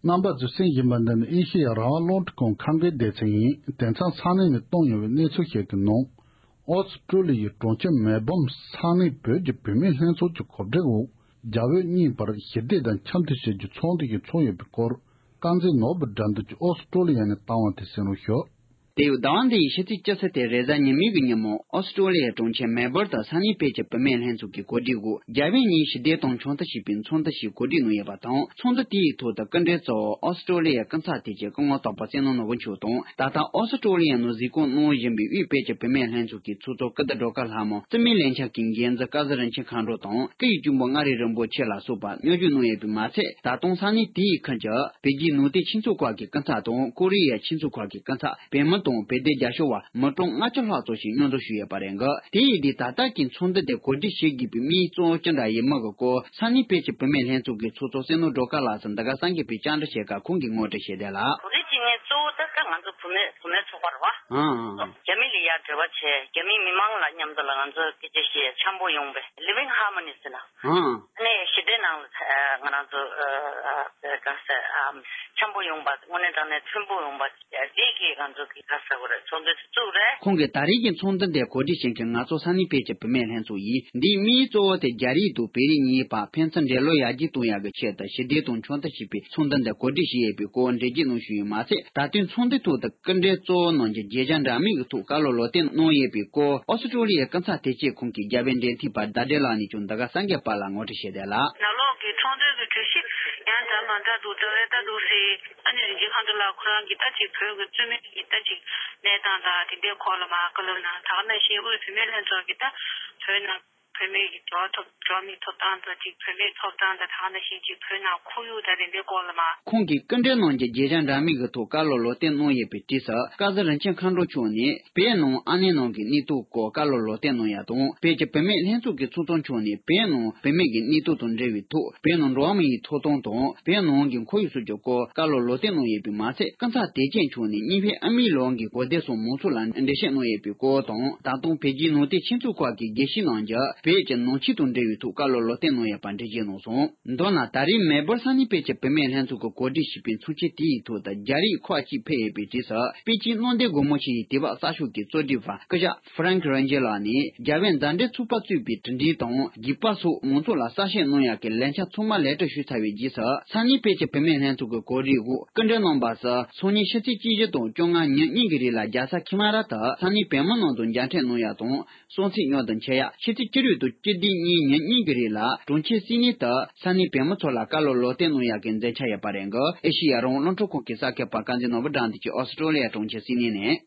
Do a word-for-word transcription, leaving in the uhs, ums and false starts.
རྣམ་པ་ཚོས་གསན་བཞིན་པ་འདི་ནི་ཨེ་ཤེ་ཡ་རང་དབང་རླུང་འཕྲིན་ཁང་ཁམས་སྐད་སྡེ་ཚན་ཡིན། དེང་སང་ས་གནས་ནས་གཏོང་ཡོང་བའི་གནས་ཚུལ་ཞིག་གི་ནང་། ཨོ་སི་ཀྲོ་ལི་ཡའི་གྲོང་ཁྱེར་མེལ་བོན་ས་གནས་བོད་ཀྱི་བུད་མེད་ལྷན་ཚོགས་ཀྱི་གོ་སྒྲིག་འོག་རྒྱ་བོད་གཉིས་བར་ཞི་བདེ་དང་འཆམ་མཐུན་ཞེས་ཀྱི་ཚོགས་འདུ་ཞིག་ཚོགས་ཡོད་པའི་སྐོར། རྐང་འཛིན་ནོར་བུ་དགྲ་འདུལ་གྱིས་ཨོ་སི་ཀྲོ་ལི་ཡ་ནས་བཏང་བ་དེ་གསན་རོགས་ཞུ། དེ་ཡང་ཟླ་བ་འདི་ཡི་ཕྱི་ཚེས་བཅུ་ཚེས་ཏེ་རེས་གཟའ་ཉི་མའི་གི་ཉིན་མོ་ཨོ་སི་ཀྲོ་ལི་ཡའི་གྲོང་ཁྱེར་མེལ་བོར་དུ་ས་གནས་བོད་ཀྱི་བུད་མེད་ལྷན་ཚོགས་ཀྱི་གོ་སྒྲིག་འོག་རྒྱ་བོད་གཉིས་ཞི་བདེ་དང་འཆམ་མཐུན་ཞེས་པའི་ཚོགས་འདུ་ཞིག་གོ་སྒྲིག་གནང་ཡོད་པ་དང་། ཚོགས་འདུ་དེའི་ཐོག་ཏུ་སྐུ་མགྲོན་གཙོ་བོ་ཨོ་སི་ཀྲོ་ལི་ཡའི་སྐུ་ཚབ་དེ་བཅས་སྐུ་ངོ་དོགས་པ་བསོད་ནམས་ནོར་བུ་མཆོག་དང་། ད་ལྟ་ཨོ་སི་ཀྲོ་ལི་ཡའི་ནང་གཟིགས་སྐོར་གནང་བཞིན་པའི་དབུས་བོད་ཀྱི་བུད་མེད་ལྷན་ཚོགས་ཀྱི་ཚོགས་གཙོ་ཀི་ཏི་སྒྲོལ་དཀར་ལྷ་མོ། རྩིས་མེད་ལས་འཆར་གྱི་འགན་འཛིན་སྐལ་བཟང་རིན་ཆེན་མཁའ་འགྲོ་དང་། སྐུ་ཡི་གཅུང་པོ་མངའ་རིས་རིན་པོ་ཆེ་ལ་སོགས་པ་སྙན་ཞུ་གནང་ཡོད་པས་མ་ཚད། ད་དུང་ས་གནས་དེའི་ཁུལ་གྱི་བོད་བརྒྱུད་ནང་བསྟན་ཆོས་ཚོགས་ཁག་གི་སྐུ་ཚབ་དང་། ཀོ་རི་ཡའི་ཆོས་ཚོགས་ཁག་གི་སྐུ་ཚབ། བོད་མི་དང་བོད་སྡེ་རྒྱ་ཤོག་བ་མི་གྲངས་ལྔ་བཅུ་ལྷག་ཙམ་ཞིག་མཉམ་འཛོམས་ཞུས་ཡོད་པ་རེད་འདུག་དེ་ཡིན་དུས་ད་ལྟ་གི་ཚོགས་འདུ་དེ་གོ་སྒྲིག་བྱེད་དགོས་པའི་དམིགས་ཡུལ་གཙོ་བོ་ཅི་འདྲ་ཡིན་མིན་གྱི་སྐོར་ས་གནས་བོད་ཀྱི་བུད་མེད་ལྷན་ཚོགས་ཀྱི་ཚོགས་གཙོ་བསོད་ནམས་སྒྲོལ་དཀར་ལགས་སུ་འདི་ག་སངས་རྒྱས་པའི་བཅར་འདྲི་བྱེད་སྐབས་ཁོང་གིས་ངོ་སྤྲོད་བྱས་བསྡད་ལ། གོ་སྒྲིག་བྱེད་མཁན་གཙོ་བོ་ད་ལྟ་ང་ཚོ་བུད་མེད་བུད་མེད་ཚོགས་པ་རེད་བ། ཨང་། རྒྱ་མི་ལ་ཡར་འབྲེལ་བ་བྱས། རྒྱ་མི་མི་མང་ལ་མཉམ་དུ་ལ་ང་ཚོ་སྐད་ཆ་བཤད། འཆམ་པོ་ཡོང་བའི་living harmony ཟེར་ན། ཨང་། ཨ་ནི་ཞི་བདེ་ནང་ལ་ང་རང་ཚོ་ག་ཟེར་འཆམ་པོ་ཡོང་པ། དངོས་གནས་དྲང་གནས་མཐུན་པོ་ཡོང་པ་དེ་གི་ང་ཚོ་གི་ག་ཟེར་དགོས་རེད། ཚོགས་འདུ་དེ་བཙུགས་རེད། ཁོང་གིས་ད་རེས་ཀྱི་ཚོགས་འདུ་འདི་གོ་སྒྲིག་བྱེད་མཁན་ང་ཚོ་ས་གནས་བོད་ཀྱི་བུད་མེད་ལྷན་ཚོགས་ཡིན། འདིའི་དམིགས་ཡུལ་གཙོ་བོ་དེ་རྒྱ་རིགས་དང་བོད་རིགས་གཉིས་བར་ཕན་ཚུན་འབྲེལ་ལོ་ཡར་རྒྱས་གཏོང་ཡག་གི་ཆེད་དུ་ཞི་བདེ་དང་འཆམ་མཐུན་ཞེས་པའི་ཚོགས་འདུ་འདི་གོ་སྒྲིག་བྱས་ཡོད་པའི་སྐོར་འགྲེལ་བརྗོད་གནང་བཞིན་ཡོད་མ་ཟད། ད་ཐེངས་ཚོགས་འདུའི་ཐོག་ཏུ་སྐུ་མགྲོན་གཙོ་བོ་གནང་རྒྱུ་མཇལ་བཅར་འདྲ་མིན་གྱི་ཐོག་བཀའ་སློབ་ལོ་སྟོན་གནང་ཡོད་པའི་སྐོར་ཨོ་སི་ཀྲོ་ལི་ཡའི་སྐུ་ཚབ་དེ་བཅས་ཁོང་གི་རྒྱབ་དཔོན་འབྲེལ་མཐུད་པ་ཟླ་སྒྲོན་ལགས་ནས་ཀྱང་འདི་ག་སངས་རྒྱས་པ་ལ་ངོ་སྤྲོད་བྱས་བསྡད་ལ། ནང་ལོགས་ཀྱི་ཚོགས་འདུ་གི་གྲོས་གཞི་ཡང་འདྲ་མ་འདྲ་འདུག་འདྲ་བས་ལྟ་འདུག་ཟེར། ཨ་ནི་རིན་ཆེན་མཁའ་འགྲོ་ལགས་ཁོ་རང་གིས་ད་ཅིག་བོད་ཀྱི་རྩོད་མེད་ཀྱི་ད་ཅིག་གནས་སྟངས་དང་དེ་འདྲའི་སྐོར་ལ་མར་བཀའ་སློབ་གནང་། ད་ག་ནང་བཞིན་དབུས་བུད་མེད་ལྷན་ཚོགས་ཀྱིས་ད་བོད་ནང་བུད་མེད་ཀྱི་འགྲོ་བ་ཐོབ་འགྲོ་བ་མིའི་ཐོབ་ཐང་དང་ཅིག་བུད་མེད་ཐོབ་ཐང་དང་ད་ག་ནང་བཞིན་ཅིག་བོད་ནང་ཁོར་ཡུག་དང་དེ་འདྲའི་སྐོར་ལ་མར། ཁོང་གིས་སྐུ་མགྲོན་གནང་རྒྱུ་མཇལ་བཅར་འདྲ་མིན་གྱི་ཐོག་བཀའ་སློབ་ལོ་སྟོན་གནང་ཡོད་པའི་དུས་སུ། སྐལ་བཟང་རིན་ཆེན་མཁའ་འགྲོ་མཆོག་ནས་བོད་ནང་ཨ་ནེ་ནང་གི་གནས་སྟངས་སྐོར་བཀའ་སློབ་ལོ་སྟོན་གནང་ཡག་དང་། བོད་ཀྱི་བུད་མེད་ལྷན་ཚོགས་ཀྱི་ཚོགས་གཙོ་མཆོག་ནས་བོད་ནང་བུད་མེད་ཀྱི་གནས་སྟངས་དང་འབྲེལ་བའི་ཐོག་བོད་ནང་འགྲོ་བ་མིའི་ཐོབ་ཐང་དང་བོད་ནང་གི་ཁོར་ཡུག་སོགས་ཀྱི་སྐོར་བཀའ་སློབ་ལོ་སྟོན་གནང་ཡོད་པས་མ་ཚད། སྐུ་ཚབ་དེ་བཅས་མཆོག་ནས་གཉིས་ཕན་ཨ་མའི་ལུང་གི་གོ་སྡེ་སོགས་མང་ཚོགས་ལ་འགྲེལ་བཤད་གནང་ཡོད་པའི་སྐོར་དང་། ད་དུང་བོད་བརྒྱུད་ནང་བསྟན་ཆོས་ཚོགས་ཁག་གིས་དགེ་བཤེས་རྣམས་ཀྱིས་བོད་ཀྱི་ནང་ཆོས་དང་འབྲེལ་བའི་ཐོག་བཀའ་སློབ་ལོ་སྟོན་གནང་ཡོད་པ་འགྲེལ་བརྗོད་གནང་སོང་། མདོར་ན་ད་རེས་མེལ་བོར་ས་གནས་བོད་ཀྱི་བུད་མེད་ལྷན་ཚོགས་ཀྱིས་གོ་སྒྲིག་བྱས་པའི་ཚོགས་ཆེན་དེའི་ཐོག་ཏུ་རྒྱ་རིགས་ཁག་ཅིག་ཕེབས་ཡོད་པའི་དུས་སུ། པེ་ཅིན་གནམ་བདེ་སྒོ་མོ་ཆེ་ཡི་དུས་བབ་གསར་ཤོག་གི་གཙོ་སྒྲིག་པ་སྐུ་ཞབས་ཧྥ་རན་ཁི་རན་ཇི་ལགས་ནས། རྒྱ་བོད་མཛའ་འབྲེལ་ཚོགས་པ་གཙོས་པའི་དྲི་བྲིས་དང་རྒྱུག་པ་སོགས་མང་ཚོགས་ལ་གསལ་བཤད་གནང་ཡག་གི་ལས་འཆར་ཚང་མ་ལེགས་གྲུབ་ཞུས་ཚར་བའི་རྗེས་སུ། ས་གནས་བོད་ཀྱི་བུད་མེད་ལྷན་ཚོགས་ཀྱི་གོ་སྒྲིག་འོག་སྐུ་མགྲོན་རྣམ་པ་ཚོ་སང་ཉིན་ཕྱི་ཚེས་བཅུ་བཞི་དང་བཅོ་ལྔ་ཉིན་གཉིས་ཀྱི་རིང་ལ་རྒྱལ་ས་ཁི་མ་ར་དུ་ས་གནས་བོད་མི་རྣམས་དང་མཇལ་འཕྲད་གནང་ཡག་དང་། གསུང་ཚིག་མཉམ་དུ་འཆད་ཡག་ཕྱི་ཚེས་བཅུ་དྲུག་དང་བཅུ་བདུན་གཉིས་ཉིན་གཉིས་ཀྱི་རིང་ལ་གྲོང་ཁྱེར་སིད་ནི་དུ་ས་གནས་བོད་མི་ཚོ་ལ་བཀའ་སློབ་ལོ་སྟོན་གནང་ཡག་གི་མཛད་འཆར་ཡོད་པ་རེད་འདུག་ཨེ་ཤེ་ཡ་རང་དབང་རླུང་འཕྲིན་ཁང་གི་གསར་འགོད་པ་དཀར་མཛེས་ནོར་བུ་དགྲ་འདུལ་གྱིས་ཨོ་སི་ཀྲོ་ལི་ཡ་གྲོང་ཁྱེར་སིད་ནི་ནས།